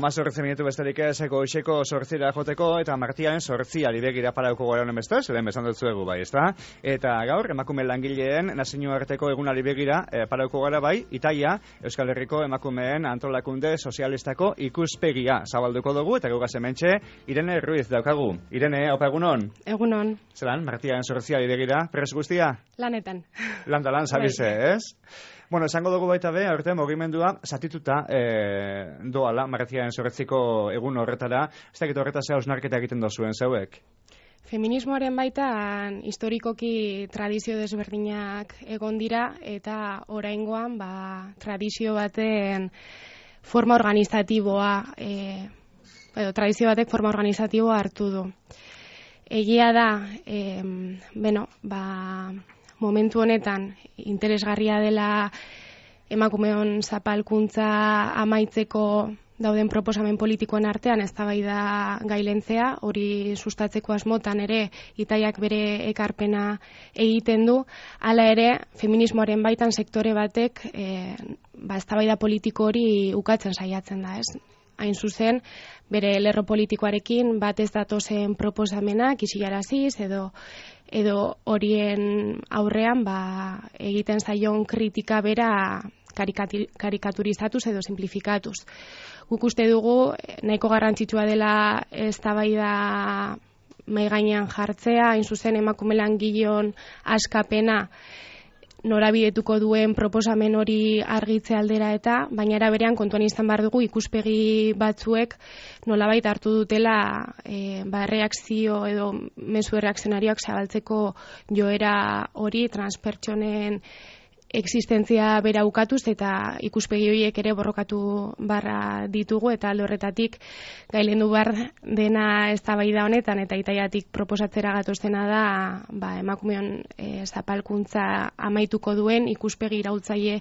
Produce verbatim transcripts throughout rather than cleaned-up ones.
amazortzi minutu besterik ez, goizeko sortzira joteko, eta martiaren sortziari begira parauko gara honen beste, zelen bezan dutzu egu bai, ezta? Eta gaur, emakume langileen nazioarteko egunari begira e, parauko gara bai, Italia, Euskal Herriko emakumeen antolakunde sozialistako ikuspegia zabalduko dugu, eta gugaz hementxe, Irene Ruiz daukagu. Irene, opa egunon? Egunon. Zelan, martiaren sortziari begira, pres guztia? Lanetan. Landa lan, zabize, ez? Bueno, esango dugu baita be, aurte mugimendua zatituta e, doala, martiaren sortziko egun horretara, ez dakit horretaz hausnarketa egiten dozuen zeuek? Feminismoaren baitan historikoki tradizio desberdinak egon dira, eta oraingoan ba, tradizio baten forma organizatiboa, e, edo, tradizio batek forma organizatiboa hartu du. Egia da, e, bueno, ba, momentu honetan interesgarria dela emakumeon zapalkuntza amaitzeko dauden proposamen politikoen artean eztabaida gailentzea, hori sustatzeko asmotan ere Italiak bere ekarpena egiten du, hala ere feminismoaren baitan sektore batek e, ba, eztabaida politiko hori ukatzen saiatzen da, ez? Hain zuzen, bere lerro politikoarekin bat ez datozen proposamenak isilaraziz edo edo horien aurrean ba, egiten zaion kritika bera karikaturizatuz edo simplifikatuz. Guk uste dugu nahiko garrantzitsua dela eztabaida mahai gainean jartzea, hain zuzen emakume langileon askapena norabidetuko duen proposamen hori argitze aldera eta, baina era berean kontuan izan behar dugu ikuspegi batzuek nolabait hartu dutela e, ba, reakzio edo mezu erreakzionarioak zabaltzeko joera hori transpertsonen existentzia bera ukatuz eta ikuspegi horiek ere borrokatu barra ditugu eta alde horretatik gailendu behar dena eztabaida honetan eta Italiatik proposatzera gatozena da ba, emakumeon e, zapalkuntza amaituko duen ikuspegi iraultzaile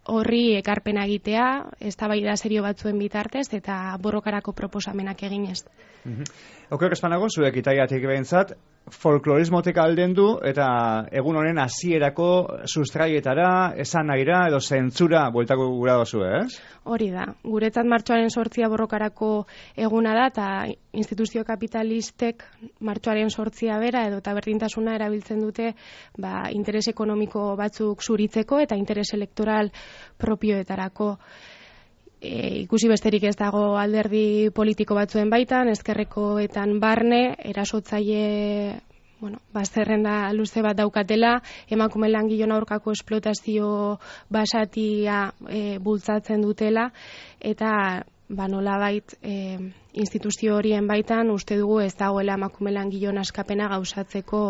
horri ekarpena egitea, eztabaida serio batzuen bitartez eta borrokarako proposamenak eginez. Mm-hmm. Oker espanago, zuek Italiatik behintzat, folklorismotek alden du eta egun honen hasierako sustraietara, esan nahira edo zentzura bueltako gura dozu, ez? Hori da. Guretzat martxoaren sortzia borrokarako eguna da eta instituzio kapitalistek martxoaren sortzia bera edo eta berdintasuna erabiltzen dute ba, interes ekonomiko batzuk zuritzeko eta interes elektoral propioetarako. E, ikusi besterik ez dago alderdi politiko batzuen baitan, ezkerrekoetan barne, erasotzaile, bueno, bazterrenda luze bat daukatela, emakume langileon aurkako esplotazio basatia e, bultzatzen dutela, eta ba, nolabait e, instituzio horien baitan uste dugu ez dagoela emakume langileon askapena gauzatzeko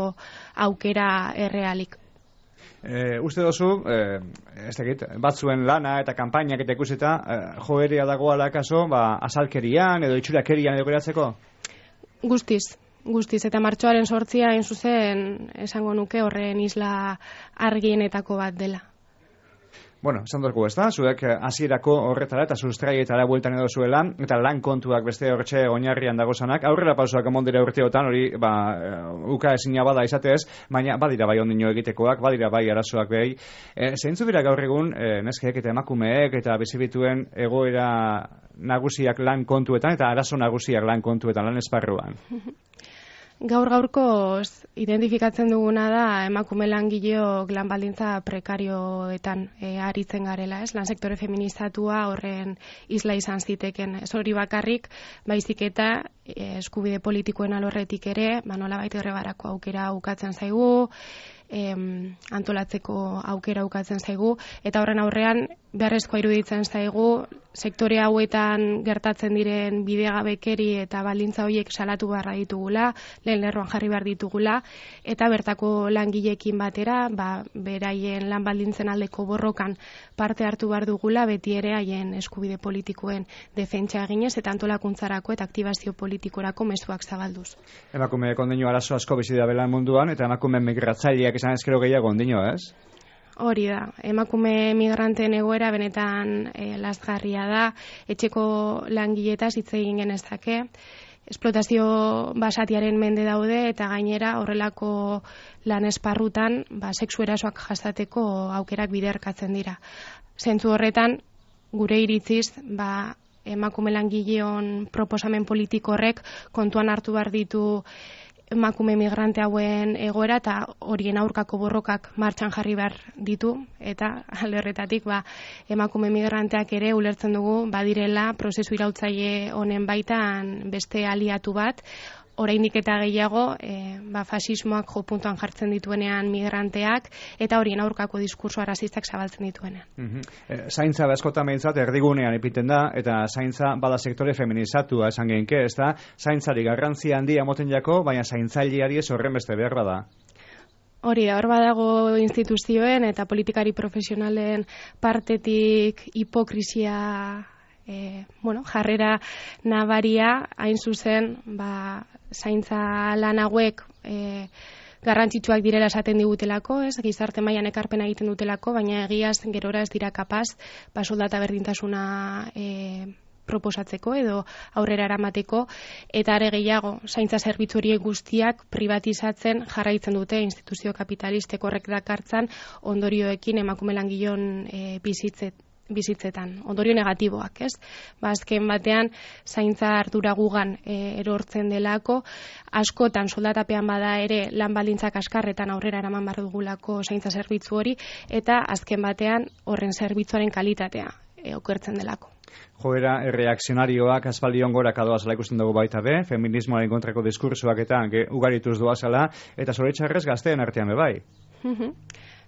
aukera errealik. E, uste dozu, e, ez dakit, batzuen lana eta kanpainak eta ikusita, e, joerea dagoala kaso, ba, asalkerian edo itxurakerian edo geratzeko? Guztiz, guztiz, eta martxoaren sortzia hain zuzen esango nuke horren isla argienetako bat dela. Bueno, esan dugu ez da, zuek hasierako horretara eta sustraietara bueltan edo zuela, eta lan kontuak beste horretxe oinarrian dagozanak, aurrera pausoak emondira urteotan, hori, ba, uka ezina bada izatez, baina badira bai ondino egitekoak, badira bai arazoak behi. E, zeintzu dira gaur egun, e, neskeek eta emakumeek eta bizibituen egoera nagusiak lan kontuetan, eta arazo nagusiak lan kontuetan, lan esparruan? Gaur gaurkoz identifikatzen duguna da emakume langileok lan baldintza prekarioetan e, aritzen garela, ez? Lan sektore feminizatua horren isla izan ziteken. Ez hori bakarrik, baizik eta e, eskubide politikoen alorretik ere, ba nolabait errebarako aukera ukatzen zaigu, em, antolatzeko aukera ukatzen zaigu, eta horren aurrean beharrezkoa iruditzen zaigu sektore hauetan gertatzen diren bidegabekeri eta baldintza horiek salatu beharra ditugula, lehen lerroan jarri behar ditugula, eta bertako langileekin batera, ba, beraien lan baldintzen aldeko borrokan parte hartu behar dugula, beti ere haien eskubide politikoen defentsa eginez eta antolakuntzarako eta aktibazio politikorako mezuak zabalduz. Emakume kondinu arazo asko bizi da belan munduan, eta emakume migratzaileak izan ezkero gehiago ondino, ez? Hori da, emakume migranteen egoera benetan e, lazgarria da, etxeko langiletaz hitz egin genezake, esplotazio basatiaren mende daude eta gainera horrelako lan esparrutan ba, sexu erasoak jasateko aukerak biderkatzen dira. Zentzu horretan, gure iritziz, ba, emakume langileon proposamen politiko horrek kontuan hartu behar ditu emakume migrante hauen egoera eta horien aurkako borrokak martxan jarri behar ditu, eta alde horretatik ba, emakume migranteak ere ulertzen dugu badirela prozesu iraultzaile honen baitan beste aliatu bat, oraindik eta gehiago e, ba, fasismoak jo puntuan jartzen dituenean migranteak eta horien aurkako diskurso arrazistak zabaltzen dituenean. Mm-hmm. e, zaintza bezkotan behintzat erdigunean ipinten da, eta zaintza bada sektore feminizatua esan genke, ez da, zaintzari garrantzia handia moten jako, baina zaintzaileari ez horren beste behar bada. Hori da, hor badago instituzioen eta politikari profesionalen partetik hipokrisia E, bueno, jarrera nabaria, hain zuzen, ba, zaintza lan hauek e, garrantzitsuak direla esaten digutelako, ez, gizarte mailan ekarpena egiten dutelako, baina egiaz gerora ez dira kapaz, ba, soldata berdintasuna e, proposatzeko edo aurrera eramateko, eta are gehiago, zaintza zerbitzu horiek guztiak privatizatzen jarraitzen dute instituzio kapitalistek horrek dakartzan ondorioekin emakume langilon e, bizitzet bizitzetan, ondorio negatiboak, ez? Ba, azken batean, zaintza ardura gugan e, erortzen delako, askotan soldatapean bada ere lan baldintzak askarretan aurrera eraman behar dugulako zaintza zerbitzu hori, eta azken batean horren zerbitzuaren kalitatea e, okertzen delako. Joera erreakzionarioak aspaldion gora kadoazala ikusten dugu baita be, feminismoaren kontrako diskursoak eta ugarituz doazala, eta zoritxarrez gazteen artean be bai.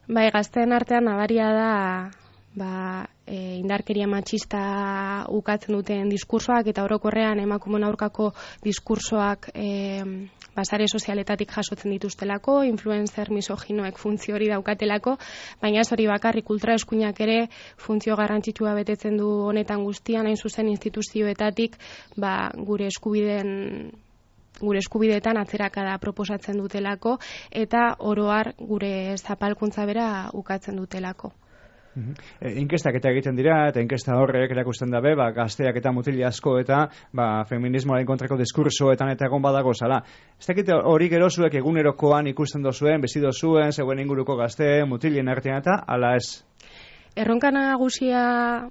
Bai, gazteen artean nabaria da ba, e, indarkeria matxista ukatzen duten diskursoak eta orokorrean emakumeen aurkako diskursoak e, basare sozialetatik jasotzen dituztelako, influencer misoginoek funtzio hori daukatelako, baina ez hori bakarrik ultraeskuinak ere funtzio garrantzitsua betetzen du honetan guztian, hain zuzen instituzioetatik ba, gure eskubideen gure eskubideetan atzerakada proposatzen dutelako eta oroar gure zapalkuntza bera ukatzen dutelako. E, inkestak eta egiten dira, eta inkesta horrek erakusten dabe, ba, gazteak eta mutili asko eta ba, feminismoaren kontrako diskursoetan eta egon badago zala. Ez dakit hori gerozuek egunerokoan ikusten dozuen, bezido zuen, zeuen inguruko gazte, mutilien artean eta, ala ez? Erronka nagusia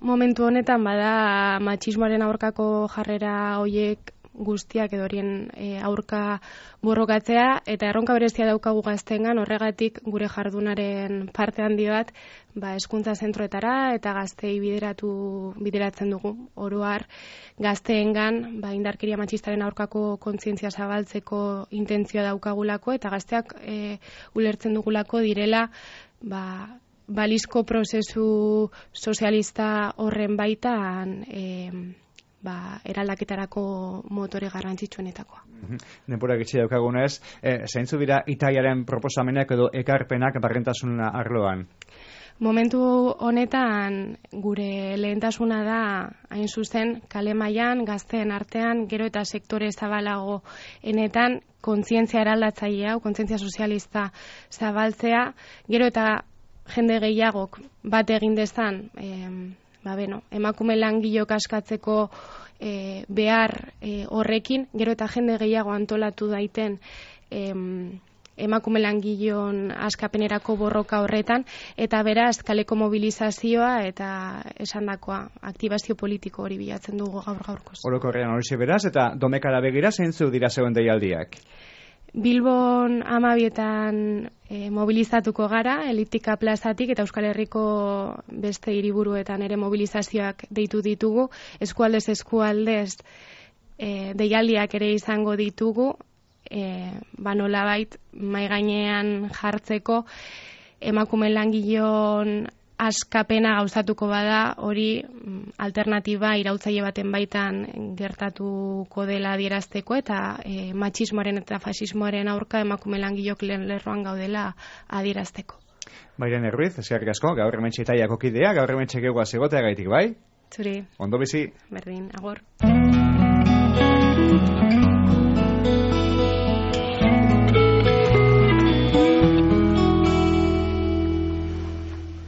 momentu honetan bada matxismoaren aurkako jarrera hoiek guztiak edo horien e, aurka borrokatzea, eta erronka berezia daukagu gazteengan, horregatik gure jardunaren parte handi bat ba, hezkuntza zentroetara eta gaztei bideratu bideratzen dugu. Oroar gazteengan ba, indarkeria matxistaren aurkako kontzientzia zabaltzeko intentzioa daukagulako eta gazteak e, ulertzen dugulako direla ba, balizko prozesu sozialista horren baitan e, ba, eraldaketarako motore garrantzitsuenetakoa. Denbora gitxi daukagunez, e, zeintzu dira itaiaren proposamenak edo ekarpenak barrentasuna arloan? Momentu honetan gure lehentasuna da hain zuzen kale mailan gazteen artean gero eta sektore zabalago enetan kontzientzia eraldatzailea, kontzientzia sozialista zabaltzea, gero eta jende gehiagok bat egin dezan eh, ba, beno, emakume langilok askatzeko e, behar e, horrekin, gero eta jende gehiago antolatu daiten em, emakume langilon askapenerako borroka horretan, eta beraz kaleko mobilizazioa eta esandakoa aktibazio politiko hori bilatzen dugu gaur gaurkoz. Orokorrean horixe beraz, eta domekara begira zeintzu dira zeuen deialdiak? Bilbon amabietan e, mobilizatuko gara, Eliptika plazatik eta Euskal Herriko beste hiriburuetan ere mobilizazioak deitu ditugu, eskualdez eskualdez e, deialdiak ere izango ditugu, e, ba nolabait mai gainean jartzeko emakume langilon askapena gauzatuko bada, hori alternatiba iraultzaile baten baitan gertatuko dela adierazteko eta e, matxismoaren eta fasismoaren aurka emakume langilok lehen lerroan gaudela adierazteko. Bairen Erruiz, eskerrik asko, gaur hementxe itaiako kidea, gaur hementxe geugaz egotea gaitik, bai? Zuri. Ondo bizi. Berdin, agor.